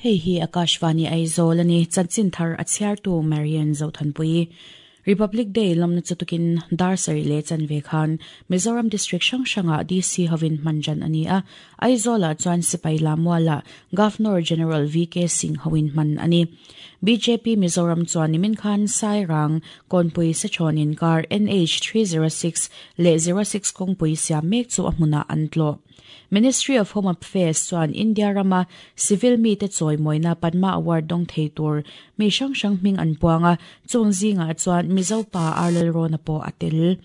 Hei hi Akashvani Aizawl a ni, chanchin thar a chhiartu Marian Zothanpuii. Republic Day lawmna chu tukin dar sarih leh chanve khan Mizoram District hrang hrangah DC hovin hman ṭan a ni a, Aizawlah chuan Sipai Lamualah Governor General VK Singh hoin hman a ni. Bjp Mizoram chuan nimin khan Sairang, Kawnpui Sechhawn inkar NH 306 leh 06 kawngpui siam mek chu a hmunah an tlawh. Ministry of Home Affairs chuan India rama civil mite chawimawina Padma Award dawng thei tur mi hrang hrang hming an puang a, chung zingah chuan Mizo pa R Lalrawna pawh a tel.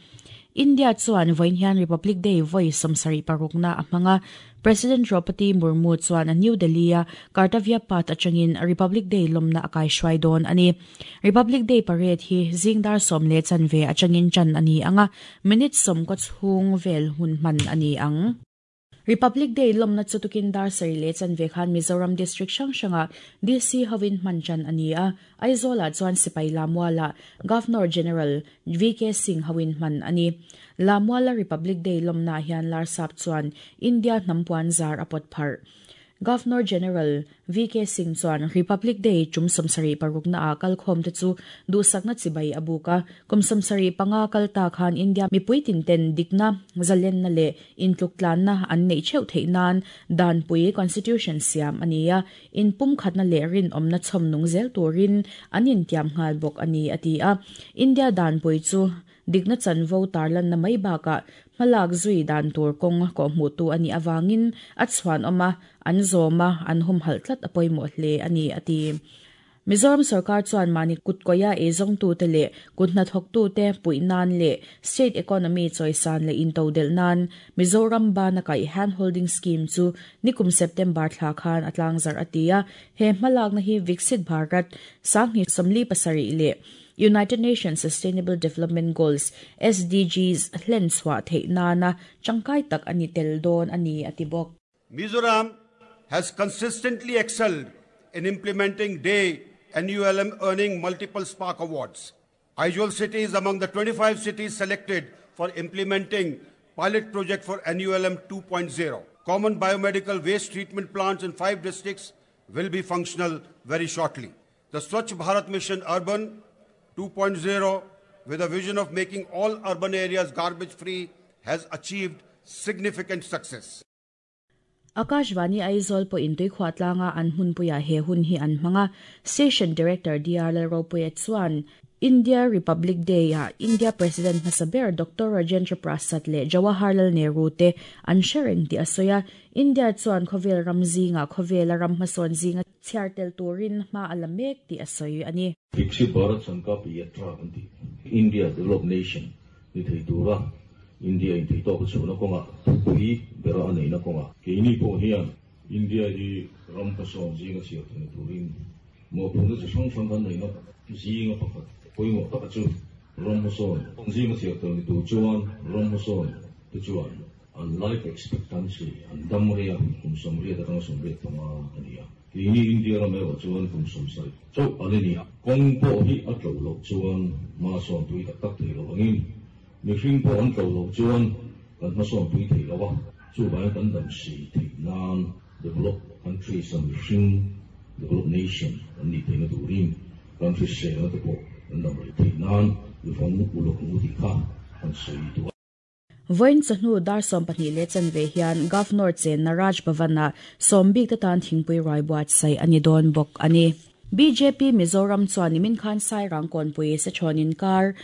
India chuan vawiin hian Republic Day vawi 76 a hmang a, President Draupadi Murmu chuan New Delhi-a Kartavya Path atangin Republic Day lawmna a kaihruai dawn a ni. Republic Day parade hi zing dar 10:15 atangin tan a ni ang a, minute 90 chhung vel hun hman a ni ang. Republic Day lawmna chu tukin dar 7:15 khan Mizoram District hrang hrangah DC hovin hman tan a ni a, Aizawlah chuan Sipai Lamualah Governor General VK Singh hoin hman a ni. Lamuala Republic Day lawmnaah hian Larsap chuan India hnampuan zar a pawt pharh. Governor General VK Singh chuan Republic Day tum 76 ah kalkhawm te chu duhsakna chibai a buk a, kum 75 kal ta khan India mipui tin ten dikna, zalenna leh intluktlanna an neih theuh theih nan danpui Constitution siam a ni a, inpumkhatna leh rinawmna chhawm nung zel turin an intiam nghal bawk a ni a ti a. India danpui chu dikna chanvo tarlanna mai bakah hmalak zui dan tur kawng kawhhmuhtu a nih avangin a chhuanawm a, an zawm a, an humhalh tlat a pawimawh hle a ni a ti. Mizoram sorkar chuan mahni kutkawia eizawngtute leh kut hnathawktute puih nan leh state economy chawisan leh intodelh nan Mizoram bana kaih hand holding scheme chu nikum September thla khan a tlangzarh a ti a, he hmalakna hi Viksit Bharat 2047 leh United Nations Sustainable Development Goals, SDGs, hlen chhuah theih nana tangkai tak a ni tel dawn a ni a ti bawk. Mizoram has consistently excelled in implementing DAY NULM earning multiple Spark Awards. Aizawl City is among the 25 cities selected for implementing pilot project for NULM 2.0. Common biomedical waste treatment plants in 5 districts will be functional very shortly. The Swachh Bharat Mission Urban 2.0, with a vision of making all urban areas garbage-free, has achieved significant success. Akashvani Aizawl pawhin Tuikhuah tlanga an hmunpuiah he hun hi an hmang a, Station Director DR Lalropuia chuan India Republic Day-ah India President hmasa ber Doctor Rajendra Prasad leh Jawaharlal Nehru te an hre reng tih a sawi a, India chuan khawvel ram zingah khawvela ram hmasawn zinga chhiar tel turin hma a la mek tih a sawi a ni. Viksit Bharat Sankalp Yatra kan tih, India Developed Nation ni thei tura India in theihtawk a chhuahna kawngah thupui bera a neihna kawngah keini pawh hian India hi ram hmasawn zinga chhiar theihna turin mawhphurhna chi hrang hrang kan neihna zinga pakhat pawimawh taka chu ram hmasawn zinga chhiar tel ni tur chuan ram hmasawn te chuan an life expectancy an dam rei a, kum 85 85 a ni a. Keini India ram erawh chuan kum 70 chauh a la ni a. Kawng pawh hi a tlo loh chuan hmasawn pui tak tak thei lo angin mihring pawh an tlo loh chuan kan hmasawn pui thei lo a, chuvangin kan dam si theih nan develop countries a mihring develop nation kan nih theihna turin kan hriselna te pawh kan dam rei theih nan i vawng uluk ang u tih kha kan sawi duh a. Vawiin chawhnu dar 12:15 hian Governor chenna Raj Bhavan-ah sawm bik te tan thingpui ruai buatsaih a ni dawn bawk a ni. Bjp Mizoram chuan nimin khan Sairang kawnpui Sechhawn inkar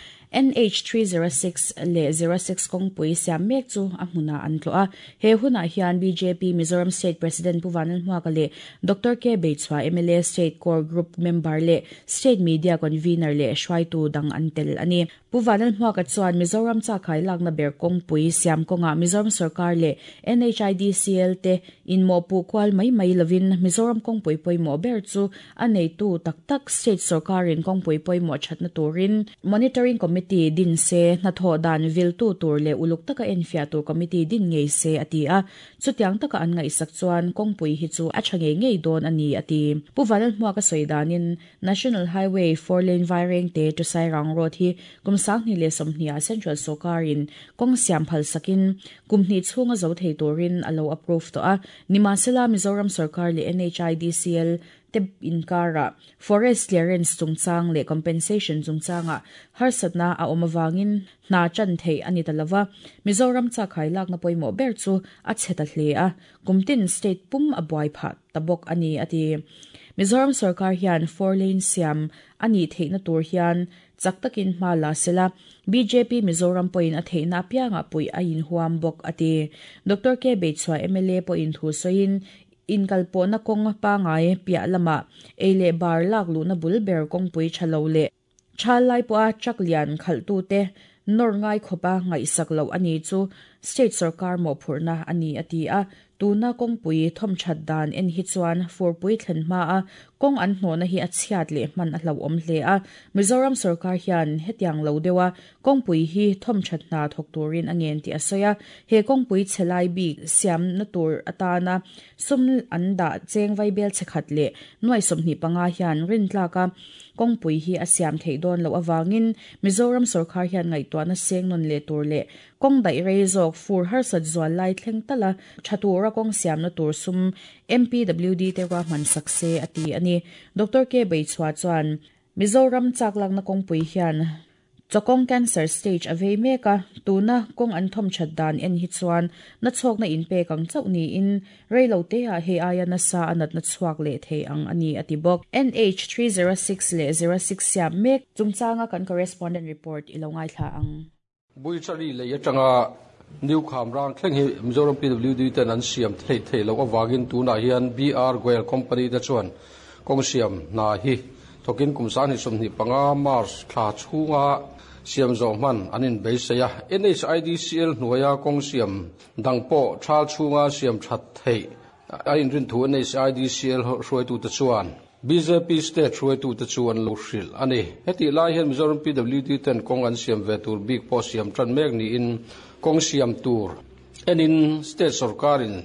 NH 306 leh 06 kawngpui siam mek chu a hmunah an tlawh a. He hunah hian bjp Mizoram State President Pu Vanlalhmuaka leh Doctor K Beichhua mla State Core Group member leh State Media Convener leh hruaitu dang an tel a ni. Pu Vanlalhmuaka chuan Mizoram chakai lakna ber kawngpui siam kawngah Mizoram sorkar leh NHIDCL te inmawhpuh kual mai mai lovin Mizoram kawngpui pawimawh ber chu a neitu tak tak state sorkarin kawngpui pawimawh thatna turin Monitoring Committee din se, hnathawh dan viltu tur leh uluk taka enfiah tur committee din ngei se a ti a. Chutiang taka an ngaihsak chuan kawngpui hi chu a tha ngei ngei dawn a ni a ti. Pu Vanlalhmuaka sawi danin National Highway four lane Vairengte to Sairang Road hi kum 2020 ah Central sorkarin kawng siam phal sakin kum hnih chhunga zo thei turin a lo approve tawh a. Nimahsela Mizoram sorkar leh NHIDCL te inkarah forest clearance chungchang leh compensation chungchangah harsatna a awm avangin hna tan theih a ni ta lova. Mizoram chakkhai lakna pawimawh ber chu a chhe ta hle a, kumtin state pum a buai phah ta bawk a ni, a ti. Mizoram sorkar hian four lane siam a nih theihna tur hian chak takin hma la sela, bjp Mizoram pawhin a theihna apiangah puih a inhuam bawk, a ti. Doctor K Beichhua mla pawhin thu sawiin, inkalpawhna kawng pangai piah lamah ei leh bar lak luhna bul ber kawngpui tha lo leh thal lai pawha truck lian khalhtute nawr ngai khawpa ngaihsak loh a ni chu state sorkar mawhphurhna a ni, a ti a. Tuna kawngpui thawmthat dan en hi chuan furpui thlen hma a kawng an hnawhna hi a chhiat leh hman a hlauhawm hle a. Mizoram sorkar hian hetiang lo deuha kawngpui hi thawmthat hna thawk turin a ngen tih a sawi a. He kawngpui chhe lai bik siamna tur atana sum an dah cheng vaibel chhe khat leh nuai 25 hian rintlak a kawngpui hi a siam theih dawn loh avangin Mizoram sorkar hian ngaihtuahna seng nawn leh tur leh kawng daih rei zawk fur harsat zual lai thleng tala tha tura kawng siamna tur sum MPWD te ruahman sak se a ti a ni. Doctor K Beichhua chuan Mizoram chak lakna kawngpui hian chawkawng cancer stage a vei mek a, tuna kawng an thawmthat dan en hi chuan na chhawkna inpek ang chauh niin reilo te ah hei aia nasa a natna chhuak leh thei ang a ni, a ti bawk. NH 306 leh 06 siam mek chungchanga kan correspondent report i lo ngaithla ang. Buichari lei atanga New Khamrang thleng hi Mizoram PWD ten an siam thei thei loh avangin tunah hian BR Goel Company te chuan kawng siam hna hi thawkin kum 2025 March thla chhunga siam zawh hman an inbeisei a. NHIDCL hnuaia kawng siam dang pawh thal chhunga siam that theih a inrin thu NHIDCL hruaitute chuan BJP state hruaitute chu an lo hrilh a ni. Heti lai hian Mizoram PWD ten kawng an siam ve tur bik pawh siam tan mek niin kawng siam tur enin state sarkarin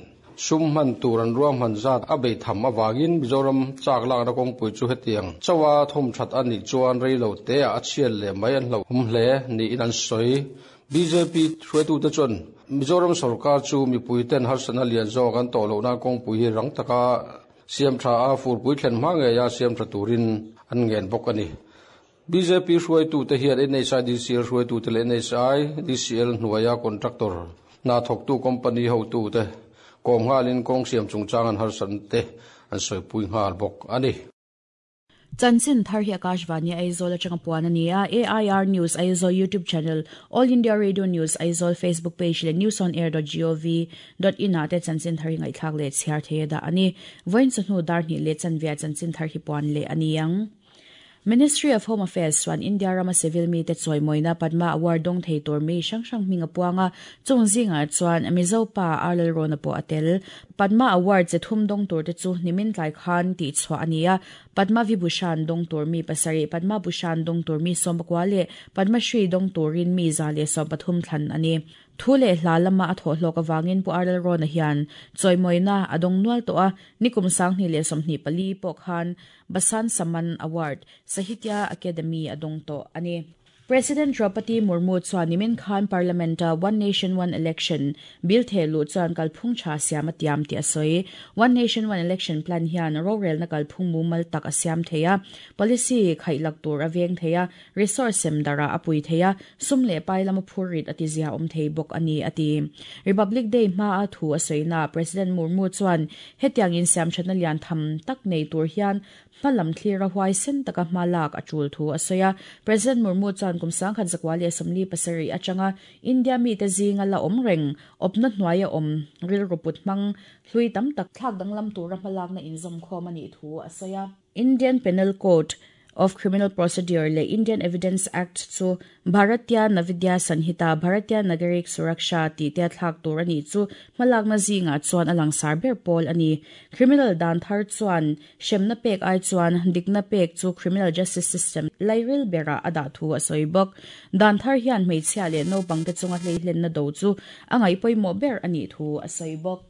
sum hman tur an ruang hman zat a bei tham awangin Mizoram chak lakna kawngpui chu hetiang chawa thawm that ani chuan reilo te a chhiat leh mai an hlo hum hle niin an sawi. BJP hruaitute chuan Mizoram sarkar chu mipui ten harsatna lian zawk an tawh lohna kawngpui hi rang taka siam tha a furpui thlen hma ngeia siam tha turin an ngen bawk a ni. BJP hruaitute hian NHIDCL hruaitute leh NHIDCL hnuaia contractor hna thawktu company hotute kawm nghalin kawng siam chungchang an harsat te an sawipui nghal bawk a ni. Chanchin thar hi Akashvani Aizawl atanga puan ani a. AIR News Aizawl YouTube channel, All India Radio News Aizawl Facebook page leh newsonair.gov.in ah te chanchin thar hi ngaihthlak leh chhiar thei a dah ani. Vawiin chawhnu dar hnih leh chanve ah chanchin thar hi puan leh ani ang. Ministry of Home Affairs chuan India rama civil mi te chawimawina Padma Award dawng thei tur mi hrang hrang hming a puang a, chung zingah chuan Mizo pa R Lalrawna pawh a tel. Padma Award che thum dawng tur te chu nimin tlai khan tih chhuah a ni a. Padma Vibhushan dawng tur mi 7, Padma Bhushan dawng tur mi 19 leh Padma Shri dawng turin mi 113 thlan a ni. Thu leh hla lama a thawh hlawk awangin Pu R Lalrawna hian chawimawina a dawng nual tawh a, nikum 2024 pawh khan Basant Samman Award, Sahitya Akademi a dawng tawh a ni. President Draupadi Murmu chuan nimin khan Parliament a One Nation One Election bill thehluh chuan kalphung tha siam a tiam tih a sawi. One Nation One Election plan hian rorelna kalphung mumal tak a siam thei a, policy khaihlak tur a veng thei a, resource sem darah a pui thei a, sum leh pai lama phur rit a ti zia awm thei bawk a ni, a ti. Republic Day hma a thu a sawina President Murmu chuan hetiang insiam thatna lian tham tak nei tur hian hmalam thlir a huai sen taka hma lak a tul thu a sawi a. President Murmu chuan kum 1977 atanga India mi te zinga la awm reng awpna hnuai a awm rilru put hmang hlui tam tak thlak danglam tura hma lakna inzawm khawm a nih thu a sawi a. Indian Penal Code of Criminal Procedure leh Indian Evidence Act chu Bharatiya Navidya Sanhita, Bharatiya Nagarik Suraksha tih te a thlak tur a nih chu hmalakna zingah chuan a langsar ber pawl a ni. Criminal dan thar chuan hremna pek ai chuan dikna pek chu criminal justice system lairil berah a dah thu a sawi bawk. Dan thar hian hmeichhia leh naupang te chunga hleihlenna do chu a ngaih pawimawh ber a nih thu a sawi bawk.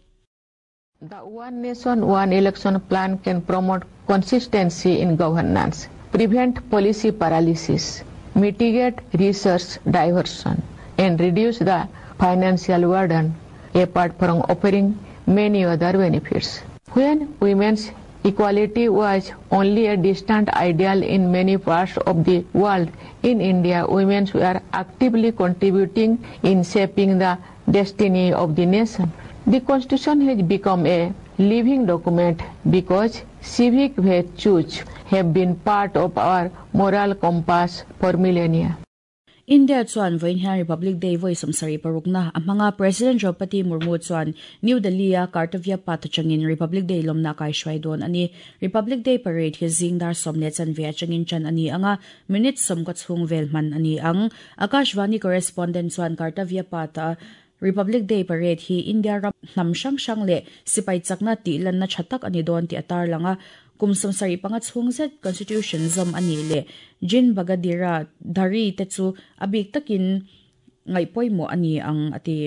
The One Nation, One Election plan can promote consistency in governance, prevent policy paralysis, mitigate resource diversion, and reduce the financial burden, apart from offering many other benefits. When women's equality was only a distant ideal in many parts of the world, in India, women were actively contributing in shaping the destiny of the nation. The Constitution has become a living document because civic virtues have been part of our moral compass for millennia. India chuan vawiin hian Republic Day vawi 76 na a hmang a, President Draupadi Murmu chuan New Delhi-a Kartavya Path atangin Republic Day lawmna a kaihruai dawn a ni. Republic Day Parade hi zing dar 10:15 atangin tan a ni ang a, minute 90 chhung vel hman a ni ang. Akashvani correspondent chuan Kartavya Path-a Republic Day Parade hi India ram hnam hrang hrang leh sipai chakna tih lanna tha tak a ni dawn tih a tarlang a. Kum 75 chhung zet Constitution zawm a nih leh Jin Bagadira Dhari te chu a bik takin ngaih pawimawh a ni ang, a ti.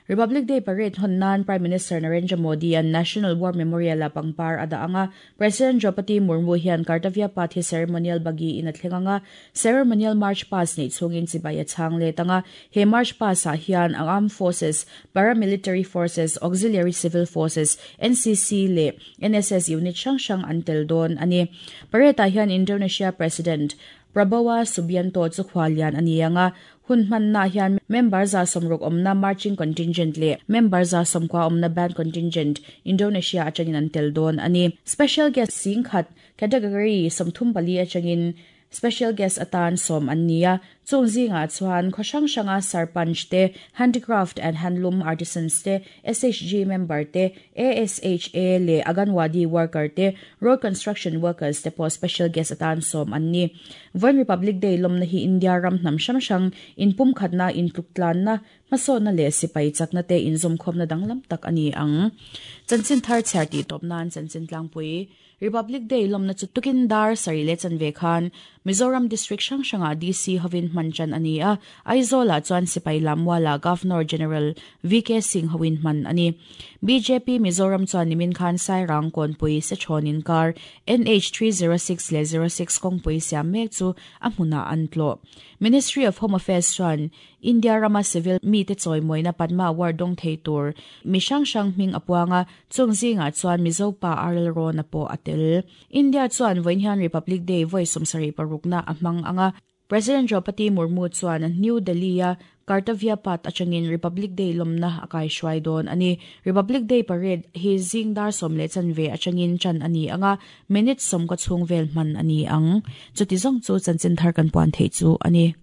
Republic Day Parade hawn nan Prime Minister Narendra Modi-a'n National War Memorial-ah pangpar a dah ang a, President Draupadi Murmu hian Kartavya Path hi ceremonial bagi in a thleng ang a, ceremonial march past neih chhungin chibai a chhang let ang a. He march past-ah hian ang armed forces, paramilitary forces, auxiliary civil forces, NCC leh NSS unit hrang hrang an tel dawn a ni. Parade-ah hian Indonesia President Prabowo Subianto chu khuallian a ni ang a, hun hmannaah hian member 160 awmna marching contingent leh member 90 awmna band contingent Indonesia atangin an tel dawn a ni. Special guest 10,000 category 34 atangin special guest atan sawm an ni a, chung zingah chuan khaw hrang hranga sarpanch te, handicraft and handloom artisans te, SHG member te, ASHA leh Anganwadi worker te, road construction workers te pawh special guest atan sawm an ni. Vawiin Republic Day lawmna hi India ram hnam hrang hrang inpumkhatna, intluktlanna, hmasawnna leh sipai chakna te inzawmkhawmna danglam tak a ni ang. Chanchin thar chhiar tih tawp nan chanchin tlangpui. Republic Day lawmna chu tukin dar 7:15 khan Mizoram District hrang hrangah DC hovin hman tan a ni a, Aizawlah chuan Sipai Lammualah Governor General VK Singh hovin hman a ni. Bjp Mizoram chuan nimin khan Sairang Kawnpui Sechhawn inkar NH 306 leh 06 kawngpui siam mek chu a hmunah an tlawh. Ministry of Home Affairs chuan India rama civil mite chawimawina Padma Award dawng thei tur mi hrang hrang hming a puang a, chung zingah chuan Mizo pa RL Rawna pawh a tel. India chuan vawiin hian Republic Day vawi 76 na a hmang ang a, President Draupadi Murmu chuan New Delhi-a Kartavya Path atangin Republic Day lawmna a kaihruai dawn a ni. Republic Day Parade hi zing dar 10:15 atangin tan a ni ang a, minute 90 chhung vel hman a ni ang. Chuti zawng chu chanchin thar kan puan theih chu a ni.